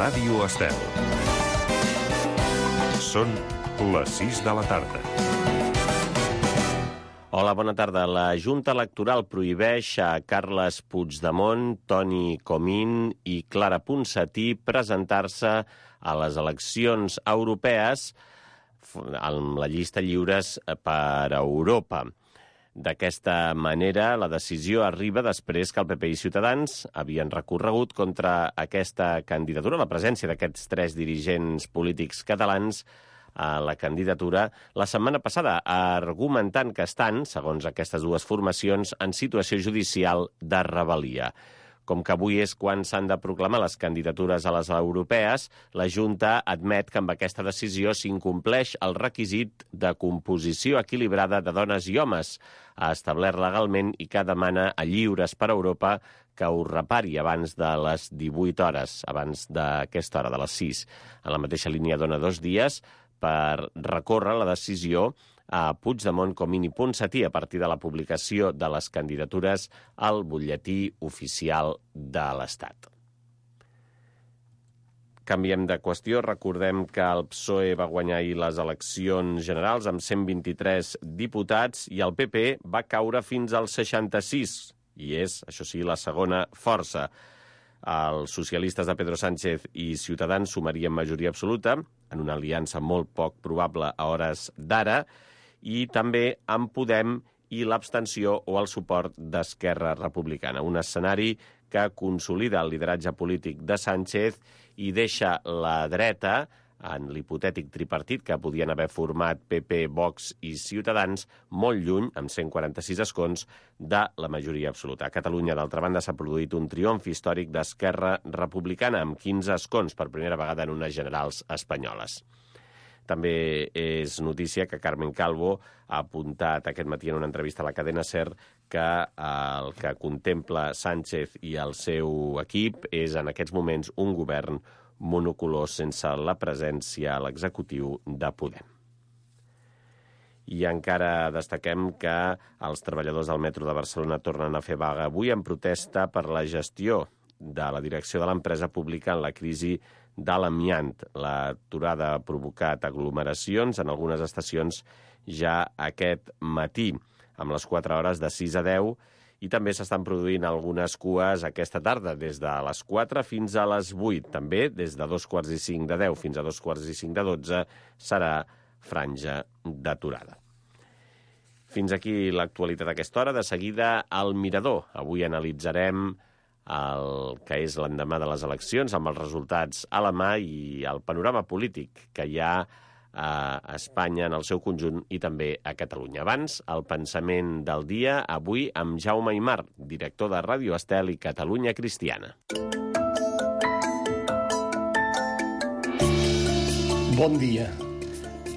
Ràdio Estel. Són les 6 de la tarda. Hola, bona tarda. La Junta Electoral prohibeix a Carles Puigdemont, Toni Comín i Clara Ponsatí presentar-se a les eleccions europees amb la llista Lliures per Europa. D'aquesta manera, la decisió arriba després que el PP i Ciutadans havien recorregut contra aquesta candidatura, la presència d'aquests tres dirigents polítics catalans a la candidatura la setmana passada, argumentant que estan, segons aquestes dues formacions, en situació judicial de rebel·lia. Com que avui és quan s'han de proclamar les candidatures a les europees, la Junta admet que amb aquesta decisió s'incompleix el requisit de composició equilibrada de dones i homes, ha establert legalment i que demana a Lliures per Europa que ho repari abans de les 18 hores, abans d'aquesta hora, de les 6. En la mateixa línia dona 2 dies per recórrer la decisió a Puigdemont, Comín i Ponsatí a partir de la publicació de les candidatures al butlletí oficial de l'Estat. Canviem de qüestió. Recordem que el PSOE va guanyar ahir les eleccions generals amb 123 diputats i el PP va caure fins als 66, i és, això sí, la segona força. Els socialistes de Pedro Sánchez i Ciutadans sumarien majoria absoluta, en una aliança molt poc probable a hores d'ara, i també amb Podem i l'abstenció o el suport d'Esquerra Republicana. Un escenari que consolida el lideratge polític de Sánchez i deixa la dreta, en l'hipotètic tripartit que podien haver format PP, Vox i Ciutadans, molt lluny, amb 146 escons, de la majoria absoluta. A Catalunya, d'altra banda, s'ha produït un triomf històric d'Esquerra Republicana, amb 15 escons per primera vegada en unes generals espanyoles. També és notícia que Carmen Calvo ha apuntat aquest matí en una entrevista a la cadena SER que el que contempla Sánchez i el seu equip és en aquests moments un govern monocolor sense la presència a l'executiu de Podem. I encara destaquem que els treballadors del metro de Barcelona tornen a fer vaga avui en protesta per la gestió de la direcció de l'empresa pública en la crisi de l'amiant. L'aturada ha provocat aglomeracions en algunes estacions ja aquest matí, amb les 4 hores de 6 a 10, i també s'estan produint algunes cues aquesta tarda, des de les 4 fins a les 8. També des de 2:45 de 10 fins a 2:45 de 12 serà franja d'aturada. Fins aquí l'actualitat d'aquesta hora. De seguida, al Mirador. Avui analitzarem el que és l'endemà de les eleccions, amb els resultats a la mà i el panorama polític que hi ha a Espanya en el seu conjunt i també a Catalunya. Abans, el pensament del dia, avui amb Jaume Aymar, director de Ràdio Estel i Catalunya Cristiana. Bon dia.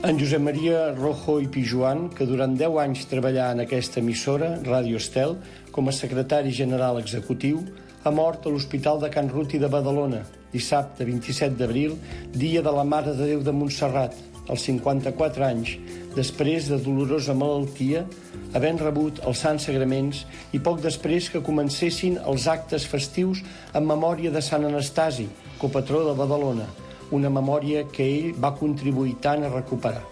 En Josep Maria Rojo i Pijuan, que durant 10 anys treballà en aquesta emissora, Ràdio Estel, com a secretari general executiu, ha mort a l'Hospital de Can Ruti de Badalona, dissabte 27 d'abril, dia de la Mare de Déu de Montserrat, als 54 anys, després de dolorosa malaltia, havent rebut els Sants Sagraments i poc després que comencessin els actes festius en memòria de Sant Anastasi, copatró de Badalona, una memòria que ell va contribuir tant a recuperar.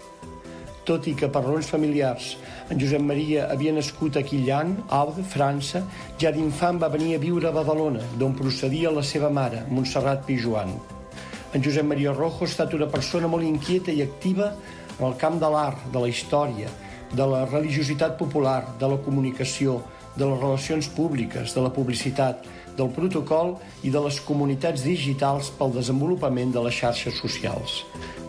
Tot i que per raons familiars en Josep Maria havia nascut a Quillan, Aude, França, ja d'infant va venir a viure a Badalona, d'on procedia la seva mare, Montserrat Pijuan. En Josep Maria Rojo ha estat una persona molt inquieta i activa en el camp de l'art, de la història, de la religiositat popular, de la comunicació, de les relacions públiques, de la publicitat, del protocol i de les comunitats digitals pel desenvolupament de les xarxes socials.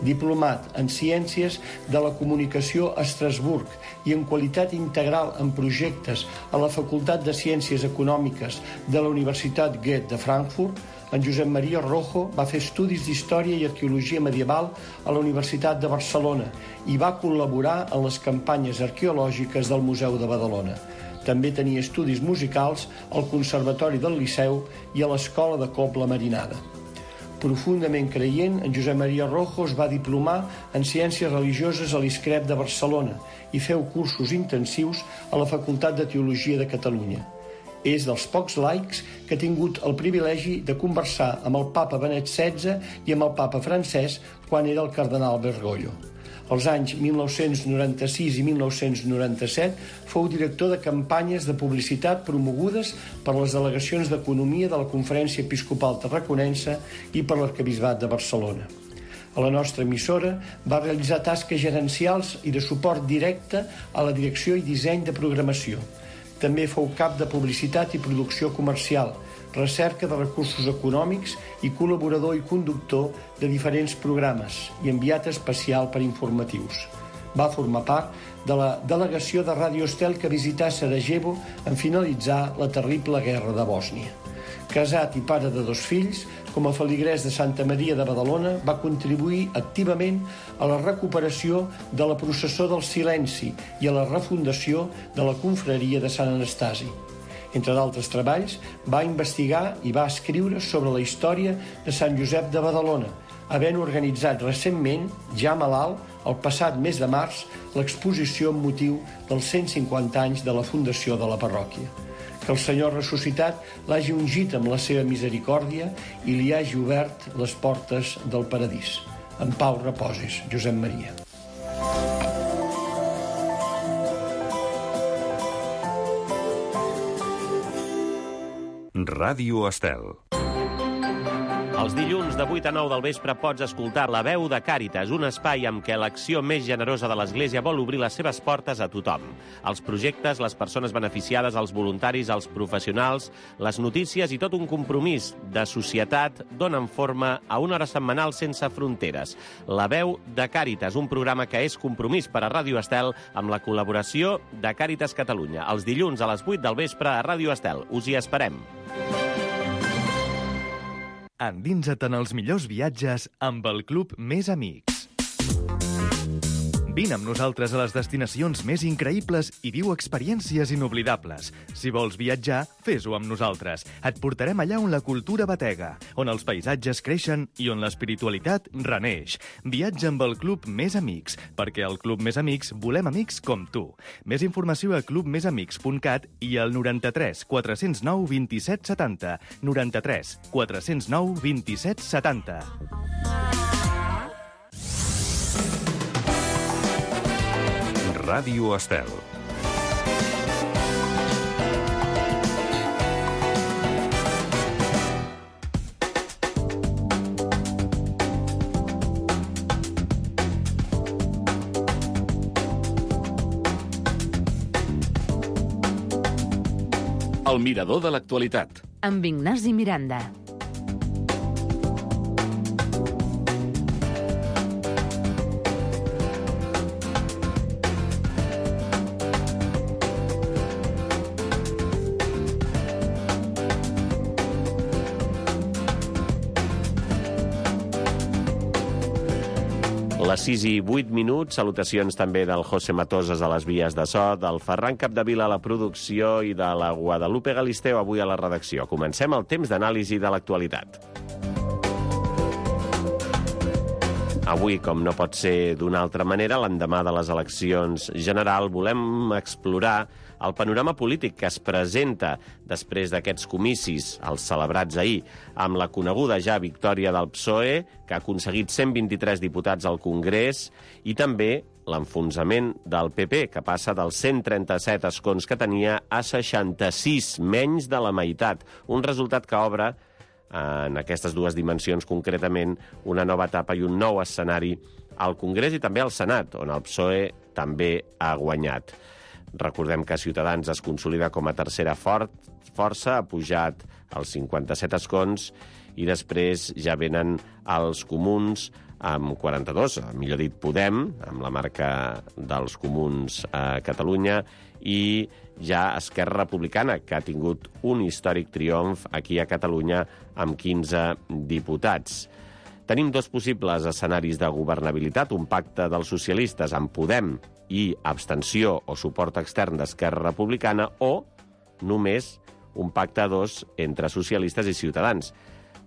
Diplomat en Ciències de la Comunicació a Estrasburg i en Qualitat Integral en Projectes a la Facultat de Ciències Econòmiques de la Universitat Goethe de Frankfurt, en Josep Maria Rojo va fer estudis d'Història i Arqueologia Medieval a la Universitat de Barcelona i va col·laborar en les campanyes arqueològiques del Museu de Badalona. També tenia estudis musicals al Conservatori del Liceu i a l'Escola de Cobla Marinada. Profundament creient, en Josep Maria Rojo es va diplomar en Ciències Religioses a l'ISCREP de Barcelona i feu cursos intensius a la Facultat de Teologia de Catalunya. És dels pocs laics que ha tingut el privilegi de conversar amb el papa Benet XVI i amb el papa Francesc quan era el cardenal Bergoglio. Als anys 1996 i 1997 fou director de campanyes de publicitat promogudes per les delegacions d'Economia de la Conferència Episcopal Tarraconense i per l'Arquebisbat de Barcelona. A la nostra emissora va realitzar tasques gerencials i de suport directe a la direcció i disseny de programació. També fou cap de publicitat i producció comercial, recerca de recursos econòmics i col·laborador i conductor de diferents programes i enviat especial per informatius. Va formar part de la delegació de Ràdio Estel que visità Sarajevo en finalitzar la terrible guerra de Bòsnia. Casat i pare de 2 fills, com a feligrès de Santa Maria de Badalona, va contribuir activament a la recuperació de la processó del silenci i a la refundació de la confraria de Sant Anastasi. Entre d'altres treballs, va investigar i va escriure sobre la història de Sant Josep de Badalona, havent organitzat recentment, ja malalt, el passat mes de març, l'exposició amb motiu dels 150 anys de la fundació de la parròquia. Que el Senyor ressuscitat l'hagi ungit amb la seva misericòrdia i li hagi obert les portes del paradís. En pau reposis, Josep Maria. Ràdio Estel. Els dilluns de 8 a 9 del vespre pots escoltar La veu de Càritas, un espai amb què l'acció més generosa de l'Església vol obrir les seves portes a tothom. Els projectes, les persones beneficiades, els voluntaris, els professionals, les notícies i tot un compromís de societat donen forma a una hora setmanal sense fronteres. La veu de Càritas, un programa que és compromís per a Ràdio Estel amb la col·laboració de Càritas Catalunya. Els dilluns a les 8 del vespre a Ràdio Estel. Us hi esperem. Endinsa't en els millors viatges amb el Club Més Amics. Vine amb nosaltres a les destinacions més increïbles i viu experiències inoblidables. Si vols viatjar, fes-ho amb nosaltres. Et portarem allà on la cultura batega, on els paisatges creixen i on l'espiritualitat reneix. Viatja amb el Club Més Amics, perquè al Club Més Amics volem amics com tu. Més informació a clubmesamics.cat i al 93 409 27 70. 93 409 27 70. Ràdio Estel. El mirador de l'actualitat. Amb Ignasi Miranda. Les 6 i 8 minuts, salutacions també del José Matoses a les vies de so, del Ferran Capdevila a la producció i de la Guadalupe Galisteo avui a la redacció. Comencem el temps d'anàlisi de l'actualitat. Avui, com no pot ser d'una altra manera, l'endemà de les eleccions general, volem explorar el panorama polític que es presenta després d'aquests comicis, els celebrats ahir, amb la coneguda ja victòria del PSOE, que ha aconseguit 123 diputats al Congrés, i també l'enfonsament del PP, que passa dels 137 escons que tenia a 66, menys de la meitat. Un resultat que obre, en aquestes dues dimensions concretament, una nova etapa i un nou escenari al Congrés i també al Senat, on el PSOE també ha guanyat. Recordem que Ciutadans es consolida com a tercera força, ha pujat als 57 escons, i després ja venen els comuns amb 42, millor dit Podem, amb la marca dels comuns a Catalunya, i ja Esquerra Republicana, que ha tingut un històric triomf aquí a Catalunya amb 15 diputats. Tenim dos possibles escenaris de governabilitat, un pacte dels socialistes amb Podem i abstenció o suport extern d'Esquerra Republicana, o només un pacte a dos entre socialistes i Ciutadans.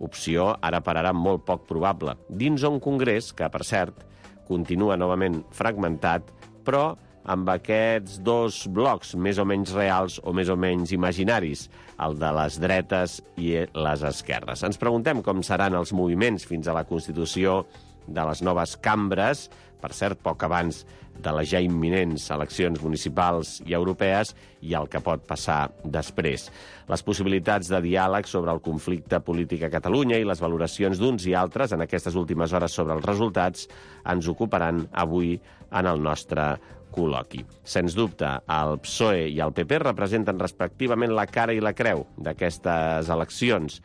Opció ara per ara molt poc probable, dins un Congrés que, per cert, continua novament fragmentat, però amb aquests dos blocs, més o menys reals o més o menys imaginaris, el de les dretes i les esquerres. Ens preguntem com seran els moviments fins a la constitució de les noves cambres, per cert, poc abans de les ja imminents eleccions municipals i europees, i el que pot passar després. Les possibilitats de diàleg sobre el conflicte polític a Catalunya i les valoracions d'uns i altres en aquestes últimes hores sobre els resultats ens ocuparan avui en el nostre col·loqui. Sens dubte, el PSOE i el PP representen respectivament la cara i la creu d'aquestes eleccions,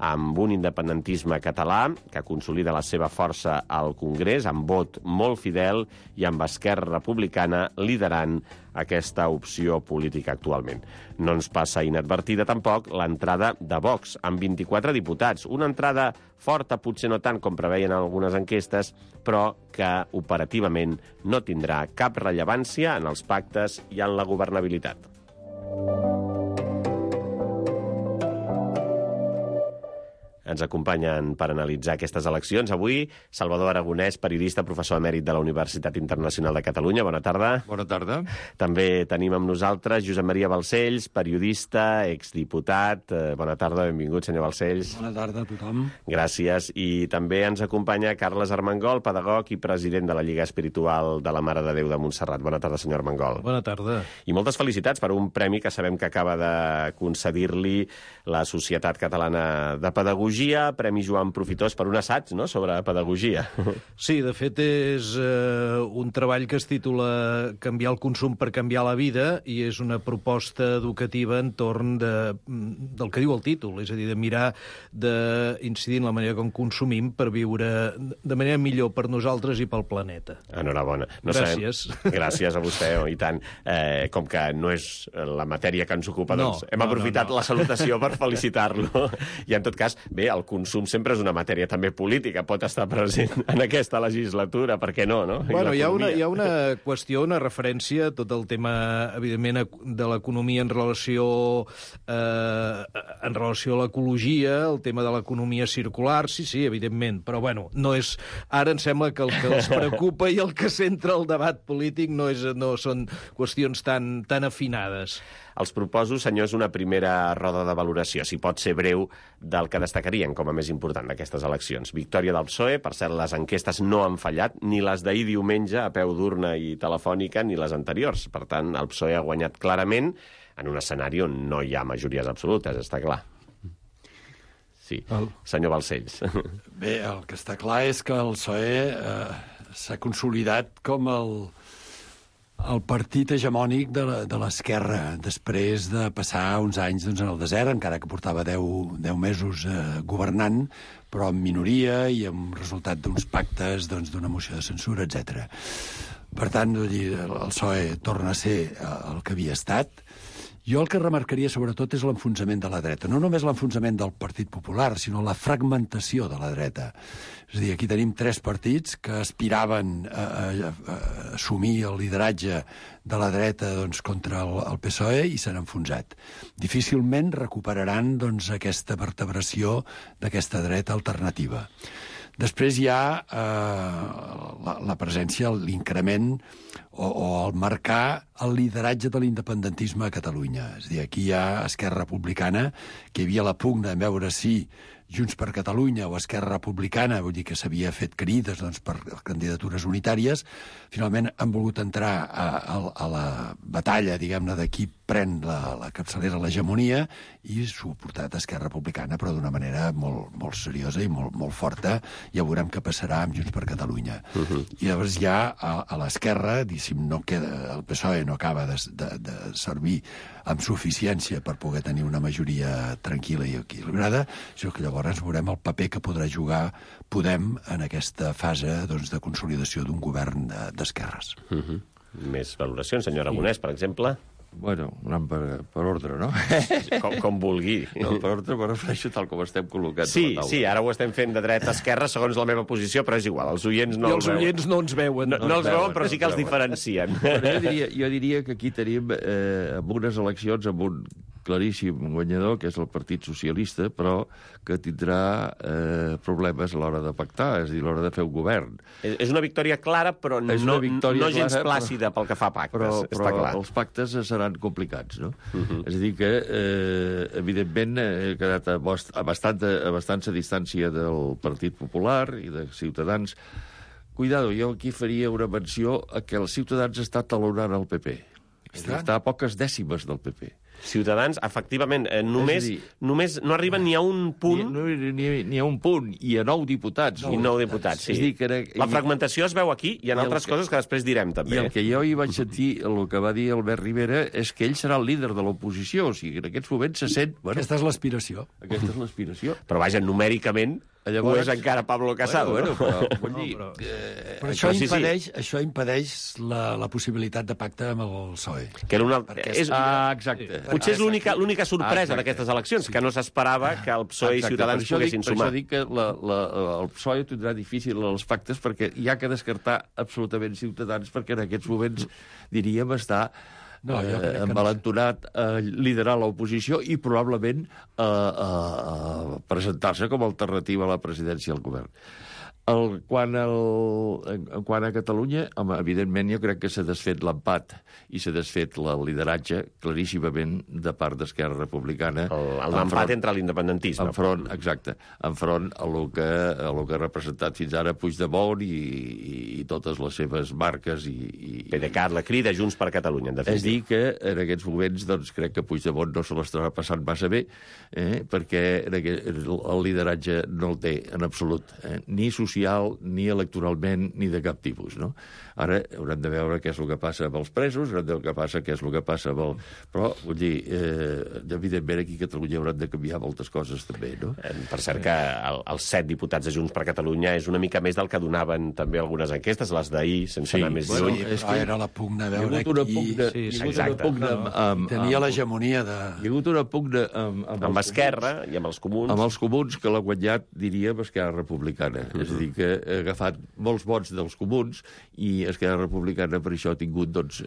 amb un independentisme català que consolida la seva força al Congrés, amb vot molt fidel i amb Esquerra Republicana liderant aquesta opció política actualment. No ens passa inadvertida tampoc l'entrada de Vox, amb 24 diputats. Una entrada forta, potser no tant com preveien algunes enquestes, però que operativament no tindrà cap rellevància en els pactes i en la governabilitat. Ens acompanyen per analitzar aquestes eleccions. Avui, Salvador Aragonès, periodista, professor emèrit de la Universitat Internacional de Catalunya. Bona tarda. Bona tarda. També tenim amb nosaltres Josep Maria Balcells, periodista, exdiputat. Bona tarda, benvingut, senyor Balcells. Bona tarda a tothom. Gràcies. I també ens acompanya Carles Armengol, pedagog i president de la Lliga Espiritual de la Mare de Déu de Montserrat. Bona tarda, senyor Armengol. Bona tarda. I moltes felicitats per un premi que sabem que acaba de concedir-li la Societat Catalana de Pedagogia, Premi Joan Profitós per un assaig, no?, sobre pedagogia. Sí, de fet és un treball que es titula Canviar el consum per canviar la vida, i és una proposta educativa entorn del que diu el títol, és a dir, de mirar d'incidir en la manera com consumim per viure de manera millor per nosaltres i pel planeta. Enhorabona. Gràcies. Gràcies a vostè, i tant. Com que no és la matèria que ens ocupa, doncs hem aprofitat la salutació per felicitar-lo. I en tot cas, bé, el consum sempre és una matèria també política, pot estar present en aquesta legislatura, per què no, no? Bueno, hi ha una qüestió, una referència a tot el tema, evidentment, de l'economia en relació a l'ecologia, el tema de l'economia circular, sí, evidentment, però bueno, no és... Ara em sembla que el que els preocupa i el que centra el debat polític no són qüestions tan afinades. Els proposo, senyors, una primera roda de valoració, si pot ser breu, del que destacarien com a més important d'aquestes eleccions. Victòria del PSOE, per cert, les enquestes no han fallat, ni les d'ahir diumenge a peu d'urna i telefònica, ni les anteriors. Per tant, el PSOE ha guanyat clarament en un escenari on no hi ha majories absolutes, està clar. Sí, senyor Balcells. Bé, el que està clar és que el PSOE s'ha consolidat com el partit hegemònic de l'esquerra, després de passar uns anys en el desert, encara que portava 10 mesos governant, però en minoria i amb resultat d'uns pactes, d'una moció de censura, etc. Per tant, el PSOE torna a ser el que havia estat. Jo el que remarcaria sobretot és l'enfonsament de la dreta. No només l'enfonsament del Partit Popular, sinó la fragmentació de la dreta. És a dir, aquí tenim 3 partits que aspiraven a assumir el lideratge de la dreta contra el PSOE i s'han enfonsat. Difícilment recuperaran aquesta vertebració d'aquesta dreta alternativa. Després hi ha la presència, l'increment o el marcar el lideratge de l'independentisme a Catalunya. És a dir, aquí hi ha Esquerra Republicana, que hi havia la pugna en veure si Junts per Catalunya o Esquerra Republicana, vull dir que s'havia fet crides per candidatures unitàries, finalment han volgut entrar a la batalla, diguem-ne, de qui pren la capçalera, l'hegemonia, i s'ho ha portat Esquerra Republicana, però d'una manera molt, molt seriosa i molt forta. Ja veurem què passarà amb Junts per Catalunya. I llavors ja a l'esquerra, no queda, el PSOE no acaba de servir amb suficiència per poder tenir una majoria tranquil·la i equilibrada, sinó que llavors veurem el paper que podrà jugar Podem en aquesta fase de consolidació d'un govern d'esquerres. Més valoracions, senyor Aragonès, per exemple? Bueno, anant per ordre, no? Com vulgui. No, per ordre me refereixo tal com estem col·locats sí, a la taula. Sí, ara ho estem fent de dreta a esquerra segons la meva posició, però és igual, els oients no els veuen. I els oients no ens veuen. No els veuen, però sí que els diferencien. Jo diria que aquí tenim amb unes eleccions amb un claríssim guanyador, que és el Partit Socialista, però que tindrà problemes a l'hora de pactar, és a dir, a l'hora de fer un govern. És una victòria clara, però no gens plàcida pel que fa a pactes, està clar. Però els pactes seran complicats, no? És a dir que, evidentment, ha quedat a bastanta distància del Partit Popular i de Ciutadans. Cuidado, jo aquí faria una menció a que els Ciutadans està talonant el PP. Està a poques dècimes del PP. Ciutadans, efectivament, només no arriben ni a un punt... Ni a un punt, i a 9 diputats. I 9 diputats, sí. La fragmentació es veu aquí i en altres coses que després direm, també. I el que jo hi vaig sentir, el que va dir Albert Rivera, és que ell serà el líder de l'oposició. O sigui, en aquests moments se sent... Aquesta és l'aspiració. Aquesta és l'aspiració. Però, vaja, numèricament... Llavors, ho és encara Pablo Casado, però això impedeix la possibilitat de pacte amb el PSOE. Exacte. Potser és l'única sorpresa d'aquestes eleccions, que no s'esperava que el PSOE i Ciutadans poguessin sumar. Per això dic que el PSOE tindrà difícil els pactes, perquè hi ha que descartar absolutament Ciutadans, perquè en aquests moments, diríem, està... envalentonat a liderar l'oposició i probablement presentar-se com a alternativa a la presidència del govern. Quant a Catalunya, evidentment jo crec que s'ha desfet l'empat i s'ha desfet el lideratge claríssimament de part d'Esquerra Republicana. L'empat entre l'independentisme. Exacte, enfront a lo que ha representat fins ara Puigdemont i totes les seves marques. PDeCAT, la Crida, Junts per Catalunya, en definitiva. És dir, que en aquests moments doncs, crec que Puigdemont no se l'estarà passant massa bé, perquè el lideratge no el té en absolut, ni social, ni electoralment, ni de cap tipus, no? Ara haurem de veure què és el que passa amb els presos, haurem de veure què és el que passa amb el... Però, vull dir, evidentment aquí a Catalunya hauran de canviar moltes coses també, no? Per cert que els 7 diputats de Junts per Catalunya és una mica més del que donaven també algunes enquestes, les d'ahir, sense anar més lluny. Però era la pugna a veure qui tenia l'hegemonia de... Hi ha hagut una pugna amb Esquerra i amb els comuns. Amb els comuns, que l'ha guanyat, diríem, Esquerra Republicana. És a dir, que ha agafat molts vots dels comuns i Esquerra Republicana per això ha tingut, doncs,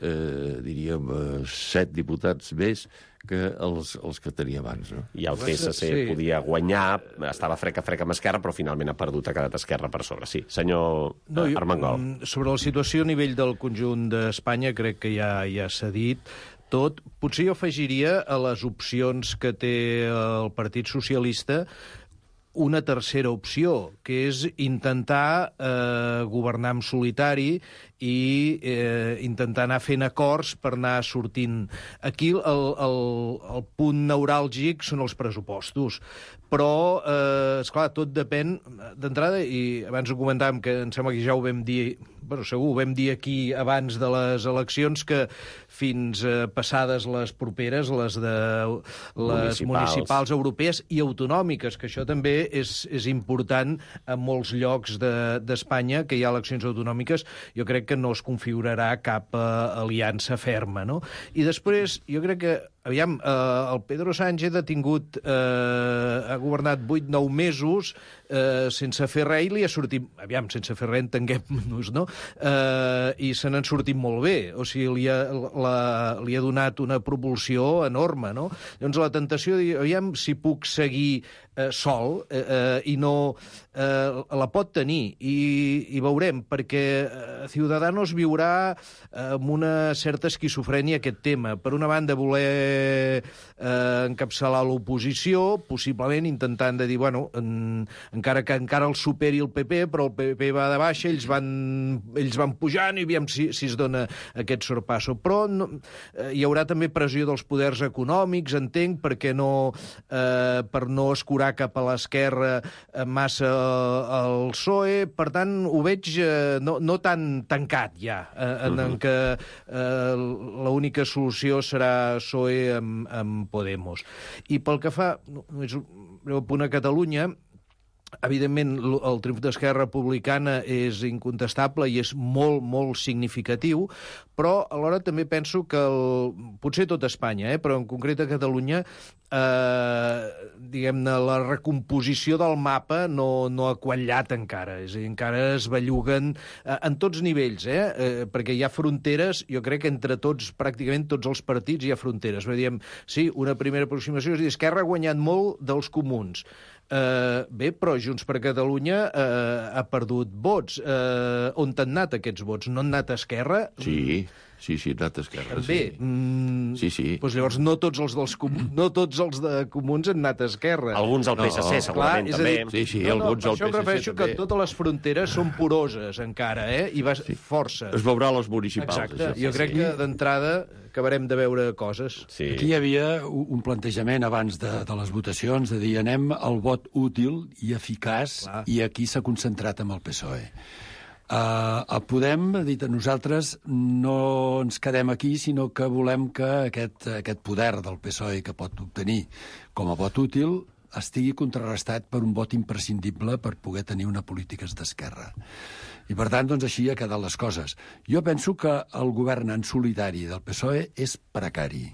diríem, 7 diputats més que els que tenia abans, no? I el PSC podia guanyar, estava frec amb Esquerra, però finalment ha perdut, ha quedat Esquerra per sobre. Sí, senyor Armengol. Sobre la situació a nivell del conjunt d'Espanya, crec que ja s'ha dit tot. Potser jo afegiria a les opcions que té el Partit Socialista una tercera opció, que és intentar governar en solitari i intentar anar fent acords per anar sortint. Aquí el punt neuràlgic són els pressupostos, però, esclar, tot depèn d'entrada, i abans ho comentàvem, que em sembla que ja ho vam dir, segur, ho vam dir aquí abans de les eleccions, que fins passades les properes, les municipals europees i autonòmiques, que això també és important en molts llocs d'Espanya, que hi ha eleccions autonòmiques, jo crec que no es configurarà cap aliança ferma, no? I després, jo crec que, aviam, el Pedro Sánchez ha governat 8-9 mesos sense fer res, i li ha sortit... Aviam, sense fer res, entenguem-nos, no? I se n'han sortit molt bé. O sigui, li ha donat una propulsió enorme, no? Llavors, la tentació de dir, aviam, si puc seguir sol, i no... la pot tenir, i veurem, perquè Ciudadanos viurà amb una certa esquizofrènia aquest tema. Per una banda, voler encapçalar l'oposició, possiblement intentant de dir, bueno, encara que encara el superi el PP, però el PP va de baixa, ells van pujant, i aviam si es dona aquest sorpasso. Però hi haurà també pressió dels poders econòmics, entenc, per no escurar cap a l'esquerra massa el PSOE. Per tant, ho veig no tan tancat ja, en què l'única solució serà PSOE amb Podemos. I pel que fa, només un breu punt a Catalunya, evidentment, el triomf d'Esquerra Republicana és incontestable i és molt, molt significatiu, però alhora també penso que potser tot Espanya, però en concret a Catalunya, diguem-ne, la recomposició del mapa no ha quallat encara. És a dir, encara es belluguen en tots nivells, perquè hi ha fronteres, jo crec que entre tots, pràcticament tots els partits hi ha fronteres. Diem, sí, una primera aproximació és dir, Esquerra ha guanyat molt dels comuns. Bé, però Junts per Catalunya ha perdut vots. On han anat aquests vots? No han anat a Esquerra? Sí, ha anat a Esquerra. Bé, sí. Doncs llavors no tots els de comuns han anat a Esquerra. Alguns al PSC, segurament, també. Sí, alguns al PSC també. Això em refereixo que totes les fronteres són poroses encara, i va força. Es veurà a les municipals. Exacte, jo crec que d'entrada acabarem de veure coses. Sí. Aquí hi havia un plantejament abans de les votacions de dir anem al vot útil i eficaç i aquí s'ha concentrat amb el PSOE. Podem, dit a nosaltres, no ens quedem aquí, sinó que volem que aquest poder del PSOE que pot obtenir com a vot útil estigui contrarrestat per un vot imprescindible per poder tenir una política d'esquerra. I, per tant, doncs així ha quedat les coses. Jo penso que el govern en solitari del PSOE és precari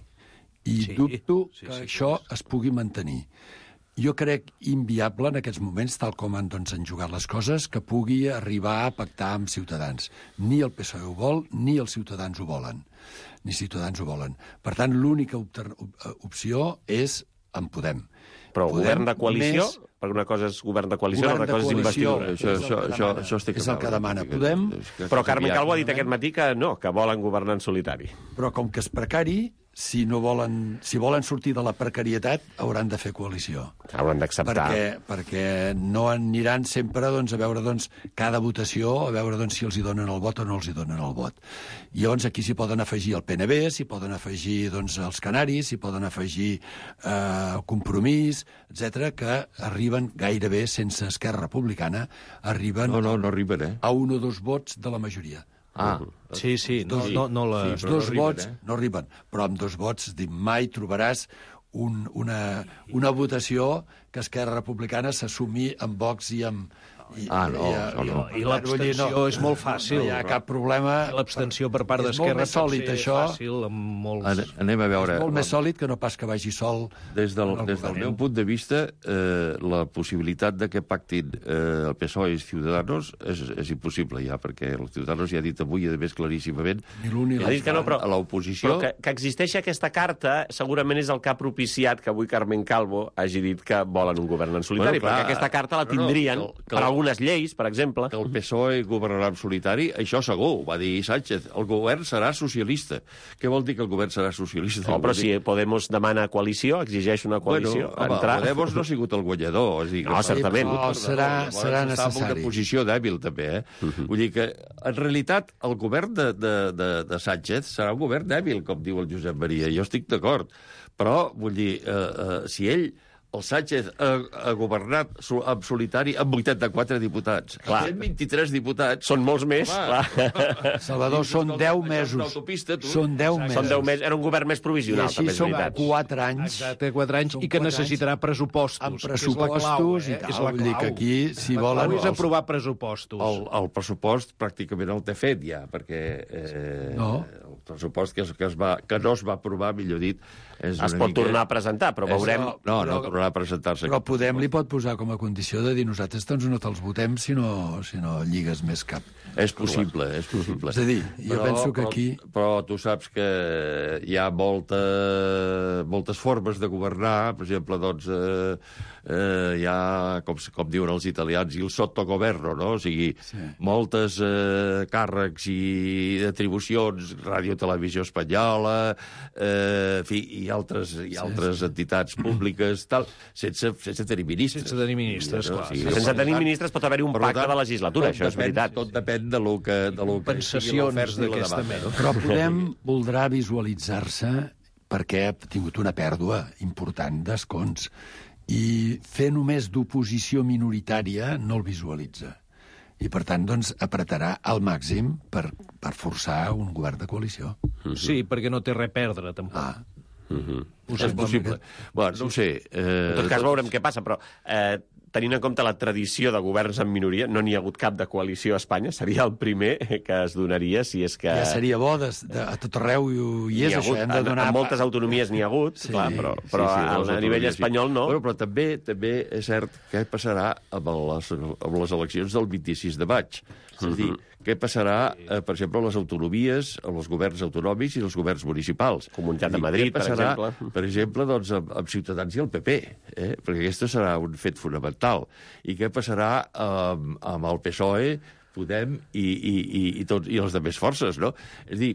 i dubto que això es pugui mantenir. Jo crec inviable en aquests moments, tal com han jugat les coses, que pugui arribar a pactar amb Ciutadans. Ni el PSOE ho vol, ni els Ciutadans ho volen. Ni Ciutadans ho volen. Per tant, l'única opció és en Podem. Però govern de coalició? Perquè una cosa és govern de coalició, una cosa és investidura. Això estic és el que demana Podem. Però Carmen Calvo ha dit aquest matí que no, que volen governar en solitari. Però com que és precari, si volen sortir de la precarietat, hauran de fer coalició. Hauran d'acceptar. Perquè no aniran sempre a veure cada votació, a veure si els hi donen el vot o no els hi donen el vot. I llavors aquí s'hi poden afegir el PNB, s'hi poden afegir els Canaris, s'hi poden afegir Compromís, etc, que arriben gairebé sense Esquerra Republicana, arriben no arriben, a 1 o 2 vots de la majoria. Sí, Dos vots no arriben, però amb 2 vots mai trobaràs una votació que Esquerra Republicana s'assumi amb Vox i amb... I l'abstenció és molt fàcil. No hi ha cap problema. L'abstenció per part d'Esquerra és molt més sòlid, això. Fàcil, amb molts... Anem a veure... És molt més sòlid que no pas que vagi sol. Des del meu punt de vista, la possibilitat de que pactin el PSOE i Ciudadanos és impossible ja, perquè el Ciudadanos ja ha dit avui, a més claríssimament, ha dit que no, però a l'oposició... Però que existeixi aquesta carta segurament és el que ha propiciat que avui Carmen Calvo hagi dit que volen un govern en solitari, perquè aquesta carta la tindrien per algunes lleis, per exemple. Que el PSOE governarà en solitari, això segur, ho va dir Sánchez. El govern serà socialista. Què vol dir que el govern serà socialista? No, però si Podemos demana coalició, exigeix una coalició, entrar... Podemos no ha sigut el guanyador. No, certament. No, serà necessari. Està en una posició dèbil, també, Vull dir que, en realitat, el govern de Sánchez serà un govern dèbil, com diu el Josep Maria. Jo estic d'acord. Però, vull dir, si ell... El Sánchez ha governat en solitari amb 84 diputats. Clar. 123 diputats. Són molts més. Salvador, són 10 mesos. Són 10 mesos. Són 10 mesos. Era un govern més provisional, també és veritat. I així són 4 anys. Exacte, 4 anys, i que necessitarà pressupostos. Amb pressupostos i tal. Vull dir que aquí, si volen... La clau és aprovar pressupostos. El pressupost pràcticament el té fet ja, perquè el pressupost que no es va aprovar, millor dit, es pot tornar a presentar, però veurem... No tornarà a presentar-se. Però Podem li pot posar com a condició de dir nosaltres no te'ls votem si no lligues més cap. És possible, és possible. És a dir, jo penso que aquí... Però tu saps que hi ha moltes formes de governar. Per exemple, hi ha, com diuen els italians, il sottogoverno, no? O sigui, moltes càrrecs i atribucions, Ràdio Televisió Espanyola, i altres entitats públiques, tal, sense tenir ministres. Sense tenir ministres, clar. Sense tenir ministres pot haver un pacte de legislatura, això és veritat. Tot depèn de lo que sigui l'oferta i la demanda. Però Podem voldrà visualitzar-se perquè ha tingut una pèrdua important d'escons i fer només d'oposició minoritària no el visualitza. I, per tant, apretarà al màxim per forçar un govern de coalició. Sí, perquè no té res a perdre, tampoc. És possible. Bueno, no ho sé. En tot cas veurem què passa, però tenint en compte la tradició de governs en minoria, no n'hi ha hagut cap de coalició a Espanya, seria el primer que es donaria, si és que... Ja seria bo, a tot arreu hi és això, hem de donar... En moltes autonomies n'hi ha hagut, clar, però a nivell espanyol no. Bueno, però també és cert què passarà amb les eleccions del 26 de maig. És a dir, què passarà, per exemple, a les autonomies, als governs autonòmics i als governs municipals. Comunitat de Madrid, per exemple. Per exemple, doncs, amb Ciutadans i el PP, perquè aquest serà un fet fonamental. I què passarà amb el PSOE, Podem i les altres forces, no? És a dir,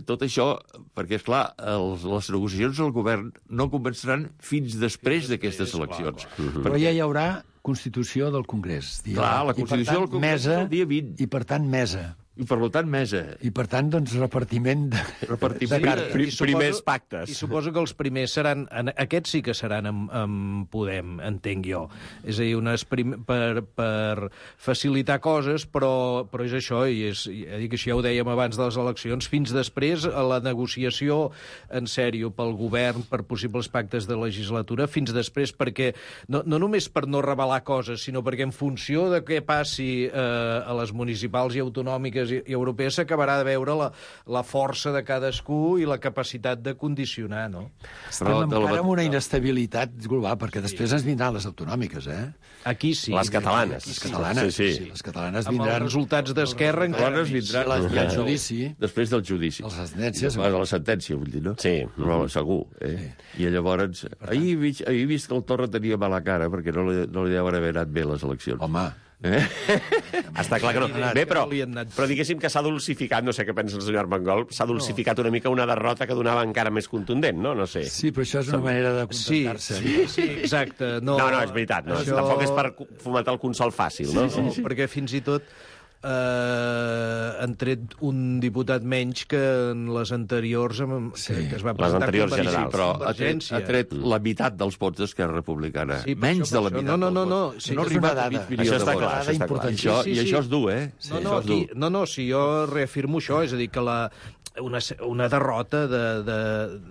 tot això, perquè, esclar, les negociacions del govern no començaran fins després d'aquestes eleccions. Però ja hi haurà Constitució del Congrés. Clar, la Constitució del Congrés és el dia 20. I, per tant, mesa. I, per tant, mesa. I, per tant, doncs, repartiment de cartes. Primers pactes. I suposo que els primers seran... Aquests sí que seran amb Podem, entenc jo. És a dir, per facilitar coses, però és això, i que això ja ho dèiem abans de les eleccions, fins després a la negociació en sèrio pel govern, per possibles pactes de legislatura, fins després perquè, no només per no revelar coses, sinó perquè en funció de què passi a les municipals i autonòmiques i europees s'acabarà de veure la força de cadascú i la capacitat de condicionar, no? Estem encara amb una inestabilitat global, perquè després ens vindran les autonòmiques, Aquí sí. Les catalanes. Les catalanes, sí. Les catalanes vindran... Amb els resultats d'Esquerra encara vindran i el judici. Després del judici. Les sentències. La sentència, vull dir, no? Sí. Però segur. I llavors... Ahir he vist que el Torra tenia mala cara perquè no li deuen haver anat bé les eleccions. Home... Està clar que no. Bé, però diguéssim que s'ha dulcificat, no sé què pensa el senyor Armengol, s'ha dulcificat una mica una derrota que donava encara més contundent, no? No sé. Sí, però això és una manera de contentar-se. Sí, exacte. No, és veritat. Tampoc és per fomentar el consol fàcil, no? Sí, perquè fins i tot han tret un diputat menys que en les anteriors que es va presentar les anteriors generals. Però ha tret la meitat dels vots d'Esquerra Republicana. Menys de la meitat dels vots. No ha arribat a mig milió de vots. I això és dur, No, si jo reafirmo això, és a dir, que una derrota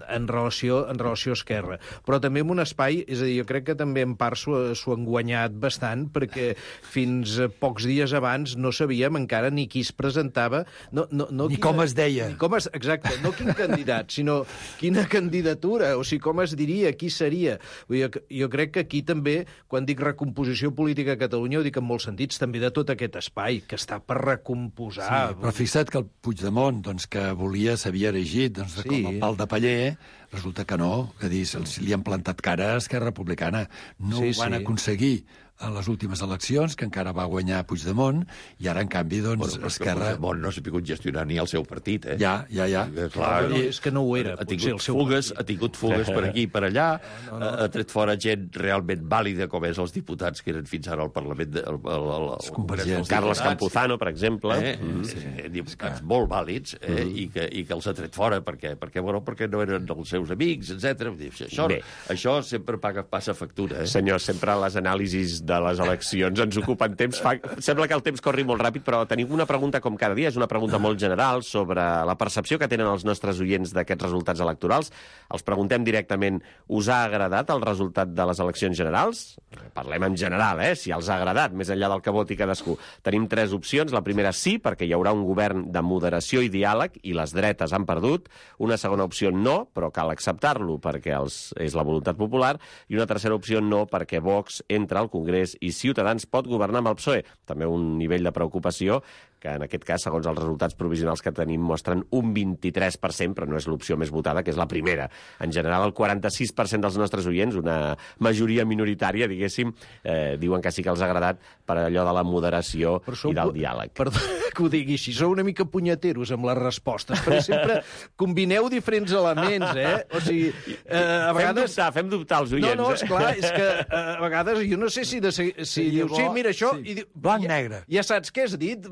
en relació a Esquerra. Però també en un espai, és a dir, jo crec que també en part s'ho han guanyat bastant, perquè fins a pocs dies abans no sabíem encara ni qui es presentava... Ni com es deia. Exacte, no quin candidat, sinó quina candidatura, o sigui, com es diria, qui seria. Jo crec que aquí també, quan dic recomposició política a Catalunya, ho dic en molts sentits, també de tot aquest espai, que està per recomposar. Sí, però fixa't que el Puigdemont, doncs, que s'havia erigit com el pal de paller, resulta que no, que li han plantat cara a Esquerra Republicana. No ho van aconseguir a les últimes eleccions, que encara va guanyar Puigdemont, i ara, en canvi, doncs, Esquerra... Puigdemont no s'ha pogut gestionar ni el seu partit, Ja. Clar, és que no ho era. Ha tingut fugues per aquí i per allà, ha tret fora gent realment vàlida, com és els diputats que eren fins ara al Parlament... Carles Campuzano, per exemple. Diputats molt vàlids, i que els ha tret fora perquè no eren els seus amics, etc. Això sempre passa factura. Senyors, sempre les anàlisis de les eleccions ens ocupen temps. Sembla que el temps corri molt ràpid, però tenim una pregunta com cada dia, és una pregunta molt general sobre la percepció que tenen els nostres oients d'aquests resultats electorals. Els preguntem directament, us ha agradat el resultat de les eleccions generals? Parlem en general, si els ha agradat, més enllà del que voti cadascú. Tenim 3 opcions. La primera, sí, perquè hi haurà un govern de moderació i diàleg i les dretes han perdut. Una segona opció, no, però cal acceptar-lo perquè és la voluntat popular. I una tercera opció, no, perquè Vox entra al Congrés i Ciutadans pot governar amb el PSOE. També un nivell de preocupació que en aquest cas, segons els resultats provisionals que tenim, mostren un 23%, però no és l'opció més votada, que és la primera. En general, el 46% dels nostres oients, una majoria minoritària, diguéssim, diuen que sí que els ha agradat per allò de la moderació i del diàleg. Perdó que ho digui així, sou una mica punyeteros amb les respostes, perquè sempre combineu diferents elements, O sigui, a vegades... Fem dubtar els oients. No, esclar, és que a vegades jo no sé si dius, sí, mira això... Blanc-negre. Ja saps què has dit?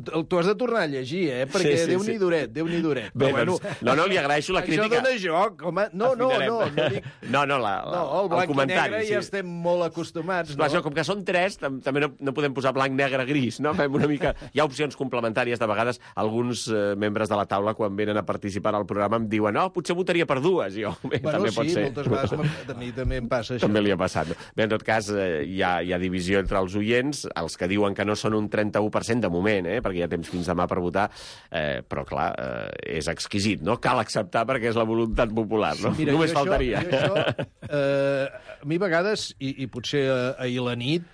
t'ho has de tornar a llegir, perquè Déu-n'hi duret, Déu-n'hi duret. Bé, doncs, no, li agraeixo la crítica. Això dona joc, home. No dic... el blanc comentari. I negre ja estem molt acostumats, no? Això, com que són 3, també no podem posar blanc, negre, gris, no? Fem una mica... Hi ha opcions complementàries, de vegades alguns membres de la taula, quan venen a participar al programa, em diuen, també votaria per 2, i jo, també pot ser. Moltes vegades a mi també em passa això. També li ha passat. Bé, en tot cas, hi ha divisió entre els oients, els que diuen que no són un 31% de moment, perquè hi ha temps fins demà per votar, però, clar, és exquisit, no? Cal acceptar perquè és la voluntat popular, no? Mira, només faltaria. A mi a vegades, i potser ahir la nit,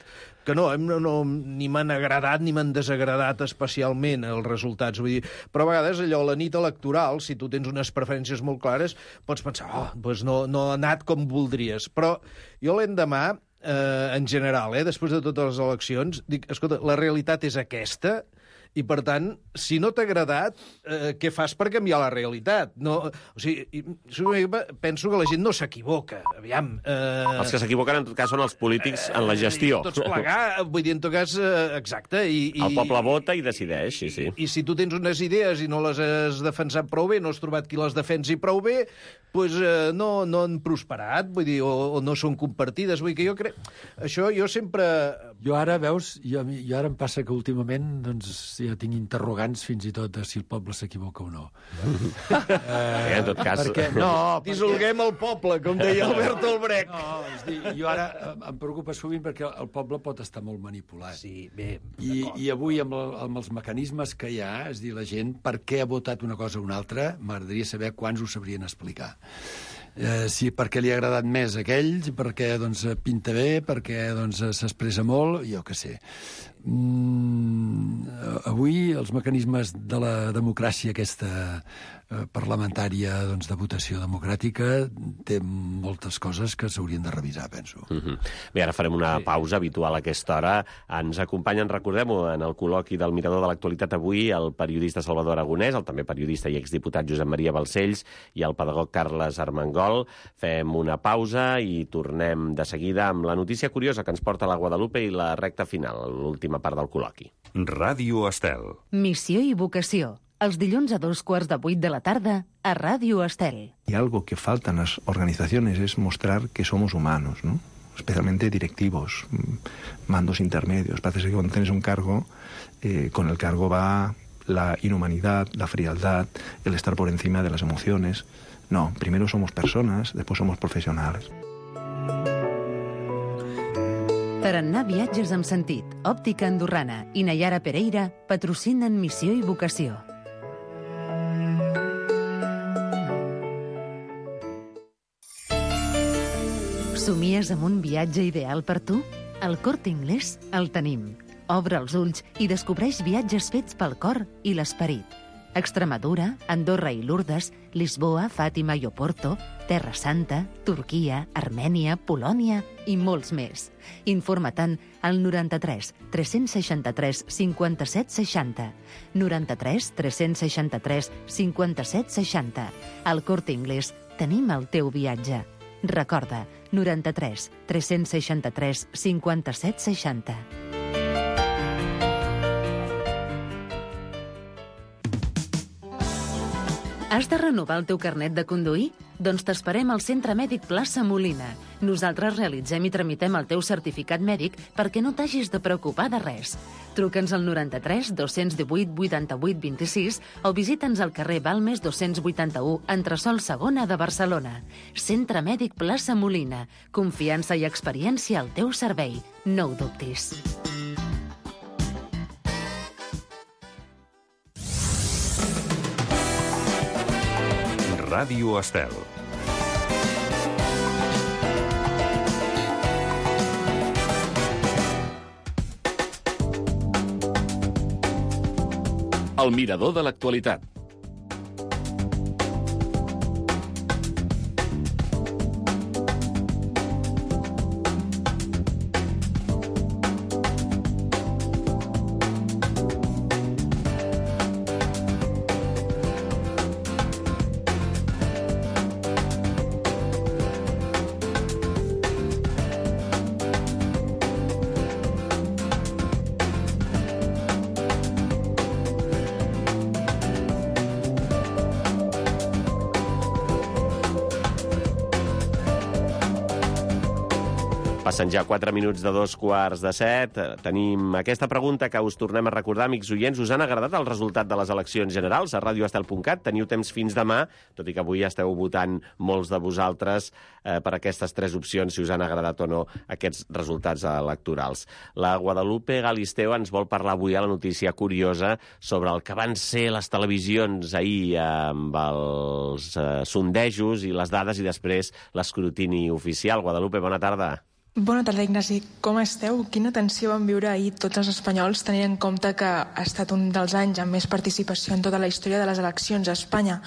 que ni m'han agradat ni m'han desagradat especialment els resultats. Vull dir, però a vegades allò, la nit electoral, si tu tens unes preferències molt clares, pots pensar, doncs no ha anat com voldries. Però jo l'endemà, en general, després de totes les eleccions, dic, escolta, la realitat és aquesta, i, per tant, si no t'ha agradat, què fas per canviar la realitat? No, o sigui, penso que la gent no s'equivoca. Aviam... Els que s'equivoquen, en tot cas, són els polítics en la gestió. Tots plegar, vull dir, en tot cas, exacte. El poble vota i decideix, sí. I si tu tens unes idees i no les has defensat prou bé, no has trobat qui les defensi prou bé, doncs no han prosperat, vull dir, o no són compartides. Vull dir que jo crec... Això jo sempre... Jo ara, veus, jo ara em passa que últimament, doncs, ja tinc interrogants fins i tot de si el poble s'equivoca o no. En tot cas... Perquè, dissolguem el poble, com deia Albert Olbrecht. No, és dir, jo ara em preocupa sovint perquè el poble pot estar molt manipulat. Sí, bé. I avui, amb els mecanismes que hi ha, és dir, la gent, per què ha votat una cosa o una altra, m'agradaria saber quants ho sabrien explicar. Si perquè li ha agradat més a aquells, perquè doncs, pinta bé, perquè doncs, s'expressa molt, jo què sé. Avui els mecanismes de la democràcia aquesta parlamentària doncs, de votació democràtica té moltes coses que s'haurien de revisar, penso. Bé, ara farem una pausa habitual a aquesta hora. Ens acompanyen, recordem-ho, en el col·loqui del Mirador de l'Actualitat avui el periodista Salvador Aragonès, el també periodista i exdiputat Josep Maria Balcells i el pedagog Carles Armengol. Fem una pausa i tornem de seguida amb la notícia curiosa que ens porta la Guadalupe i la recta final, l'última part del col·loqui. Ràdio Estel. Missió i vocació. Els dilluns a 7:45 de la tarda a Ràdio Estel. Y algo que falta en las organizaciones es mostrar que somos humanos, ¿no? Especialmente directivos, mandos intermedios. Parece que cuando tienes un cargo, con el cargo va la inhumanidad, la frialdad, el estar por encima de las emociones. No, primero somos personas, después somos profesionales. Tarannà Viatges amb sentit, Òptica Andorrana i Nayara Pereira patrocinen Missió i vocació. Somies amb un viatge ideal per tu? Al Corte Inglés el tenim. Obre els ulls i descobreix viatges fets pel cor i l'esperit. Extremadura, Andorra i Lourdes, Lisboa, Fàtima i Oporto, Terra Santa, Turquia, Armènia, Polònia i molts més. Informa-te'n al 93 363 57 60. 93 363 57 60. Al Corte Inglés tenim el teu viatge. Recorda, 93 363 57 60. Has de renovar el teu carnet de conduir? Doncs t'esperem al Centre Mèdic Plaça Molina. Nosaltres realitzem i tramitem el teu certificat mèdic perquè no t'hagis de preocupar de res. Truca'ns al 93 218 88 26 o visita'ns al carrer Balmes 281, entresòl segona de Barcelona. Centre Mèdic Plaça Molina. Confiança i experiència al teu servei. No ho dubtis. Ràdio Estel. El Mirador de l'Actualitat. Passen ja 4 minuts de 2:45. Tenim aquesta pregunta que us tornem a recordar, amics oients. Us han agradat el resultat de les eleccions generals a radioestel.cat? Teniu temps fins demà, tot i que avui esteu votant molts de vosaltres per aquestes 3 opcions, si us han agradat o no aquests resultats electorals. La Guadalupe Galisteo ens vol parlar avui a la notícia curiosa sobre el que van ser les televisions ahir amb els sondejos i les dades i després l'escrutini oficial. Guadalupe, bona tarda. Bona tarda, Ignasi. Com esteu? Quina tensió van viure ahir tots els espanyols, tenint en compte que ha estat un dels anys amb més participació en tota la història de les eleccions a Espanya.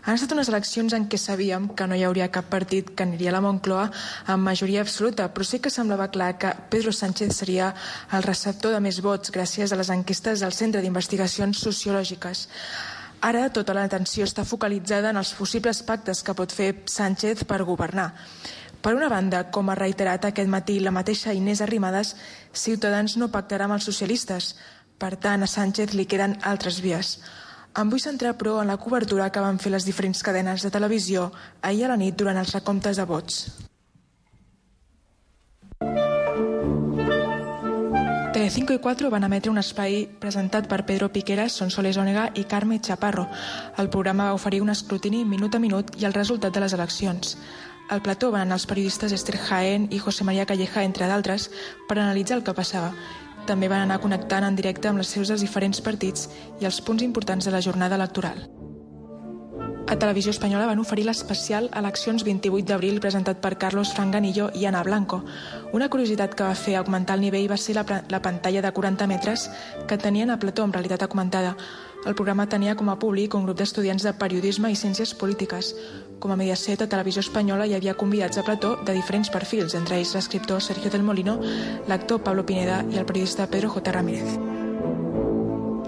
Han estat unes eleccions en què sabíem que no hi hauria cap partit que aniria a la Moncloa amb majoria absoluta, però sí que semblava clar que Pedro Sánchez seria el receptor de més vots gràcies a les enquestes del Centre d'Investigacions Sociològiques. Ara tota l'atenció està focalitzada en els possibles pactes que pot fer Sánchez per governar. Per una banda, com ha reiterat aquest matí la mateixa Inés Arrimadas, Ciutadans no pactarà amb els socialistes. Per tant, a Sánchez li queden altres vies. Em vull centrar, però, en la cobertura que van fer les diferents cadenes de televisió ahir a la nit durant els recomptes de vots. Telecinco i 4 van emetre un espai presentat per Pedro Piqueras, Sonsoles Onega i Carme Chaparro. El programa va oferir un escrutini minut a minut i el resultat de les eleccions. Al plató van anar els periodistes Esther Jaén i José María Calleja, entre d'altres, per analitzar el que passava. També van anar connectant en directe amb les seus dels diferents partits i els punts importants de la jornada electoral. A Televisió Espanyola van oferir l'especial Eleccions 28 d'abril presentat per Carlos Franganillo i Ana Blanco. Una curiositat que va fer augmentar el nivell va ser la pantalla de 40 metres que tenien a plató en realitat augmentada. El programa tenia com a públic un grup d'estudiants de periodisme i ciències polítiques. Com a Mediaset, a Televisió Espanyola hi havia convidats a plató de diferents perfils, entre ells l'escriptor Sergio del Molino, l'actor Pablo Pineda i el periodista Pedro J. Ramírez.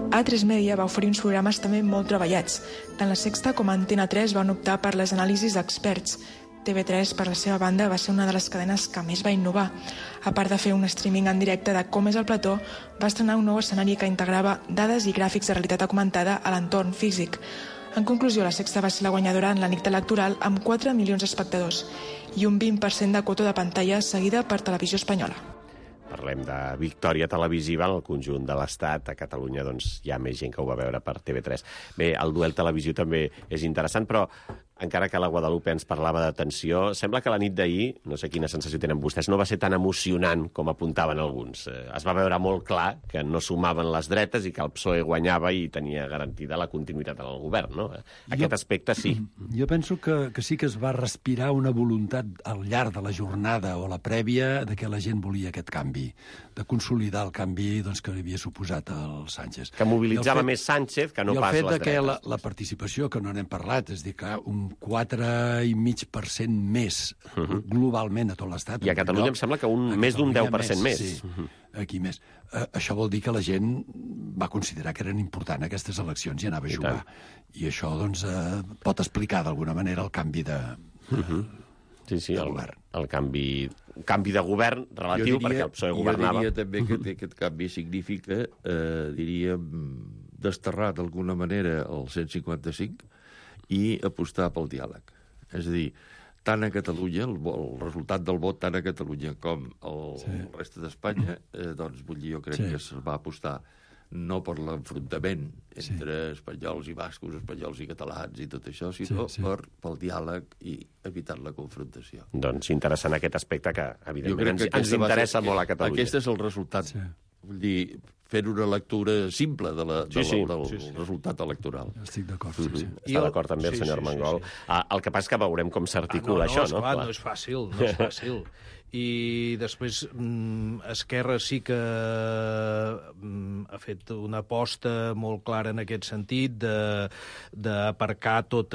A3 Media va oferir uns programes també molt treballats. Tant La Sexta com Antena 3 van optar per les anàlisis d'experts. TV3, per la seva banda, va ser una de les cadenes que més va innovar. A part de fer un streaming en directe de com és el plató, va estrenar un nou escenari que integrava dades i gràfics de realitat augmentada a l'entorn físic. En conclusió, La Sexta va ser la guanyadora en la nit electoral amb 4 milions d'espectadors i un 20% de quota de pantalla seguida per Televisió Espanyola. Parlem de victòria televisiva en el conjunt de l'Estat. A Catalunya doncs, hi ha més gent que ho va veure per TV3. Bé, el duel televisiu també és interessant, però encara que la Guadalupe ens parlava de tensió, sembla que la nit d'ahir, no sé quina sensació tenen vostès, no va ser tan emocionant com apuntaven alguns. Es va veure molt clar que no sumaven les dretes i que el PSOE guanyava i tenia garantida la continuïtat en el govern, no? Aquest aspecte sí. Jo penso que sí que es va respirar una voluntat al llarg de la jornada o la prèvia de que la gent volia aquest canvi, de consolidar el canvi doncs, que havia suposat el Sánchez. Que mobilitzava més Sánchez que no pas les dretes. I el fet de que la participació, que no n'hem parlat, és dir, que un 4,5% més globalment a tot l'Estat. I a Catalunya em sembla que més d'un 10% més. Sí, aquí més. Això vol dir que la gent va considerar que eren importants aquestes eleccions i anava a jugar. I això doncs, pot explicar d'alguna manera el canvi de govern. El canvi de govern relatiu, perquè el PSOE governava. Jo diria també que aquest canvi significa, desterrar d'alguna manera el 155 i apostar pel diàleg. És a dir, tant a Catalunya, el resultat del vot tant a Catalunya com al reste d'Espanya, doncs vull dir, jo crec que es va apostar no per l'enfrontament entre espanyols i bascos, espanyols i catalans i tot això, sinó pel diàleg i evitant la confrontació. Doncs interessant aquest aspecte que, evidentment, ens interessa molt a Catalunya. Aquest és el resultat. Vull dir, fent una lectura simple del resultat electoral. Estic d'acord. Està d'acord també el senyor Armengol. El que passa és que veurem com s'articula això, no? Esclar, no és fàcil, no és fàcil. I després Esquerra sí que ha fet una aposta molt clara en aquest sentit d'aparcar tot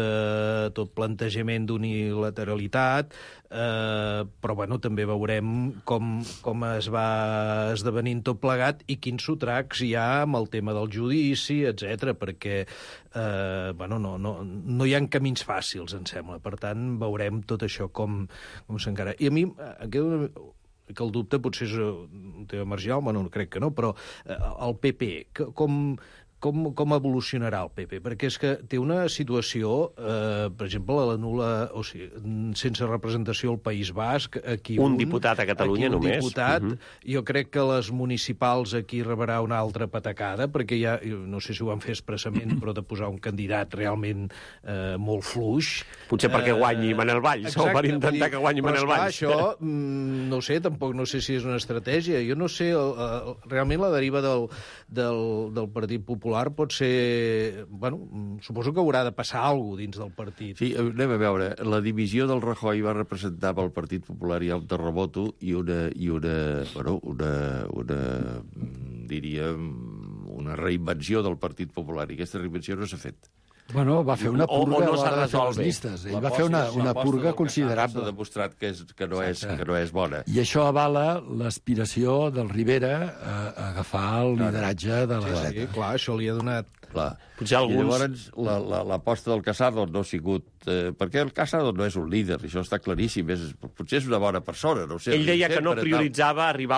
plantejament d'unilateralitat, però bueno, també veurem com es va esdevenint tot plegat i quins sotracs hi ha amb el tema del judici, etc, perquè no hi ha camins fàcils, em sembla. Per tant, veurem tot això com s'encara. I a mi que el dubte potser és un tema marginal, bueno, crec que no, però el PP, com com evolucionarà el PP? Perquè és que té una situació, per exemple, la nul·la, o sigui, sense representació al País Basc, aquí un diputat a Catalunya aquí un només. Diputat. Jo crec que les municipals aquí rebrà una altra patacada, perquè ja, no sé si ho van fer expressament, però de posar un candidat realment molt fluix. Potser perquè guanyi Manel Valls, o per intentar que guanyi Manel Valls. Però això, no sé, tampoc no sé si és una estratègia. Jo no sé, realment la deriva del Partit Popular pot ser... Bueno, suposo que haurà de passar alguna cosa dins del partit. Sí, anem a veure. La divisió del Rajoy va representar pel Partit Popular ja un terremoto i diríem, una reinvenció del Partit Popular. I aquesta reinvenció no s'ha fet. Bueno, va fer una purga no s'ha a l'hora de fer resolt les bé. llistes. Ell va fer una purga considerable. S'ha demostrat que no és bona. I això avala l'aspiració del Rivera a agafar el lideratge de la dreta. Sí, clar, això li ha donat... Clar. Potser alguns... I llavors l'aposta del Casado no ha sigut... perquè el Casado no és un líder, això està claríssim. Potser és una bona persona, no ho sé. Ell deia que no prioritzava arribar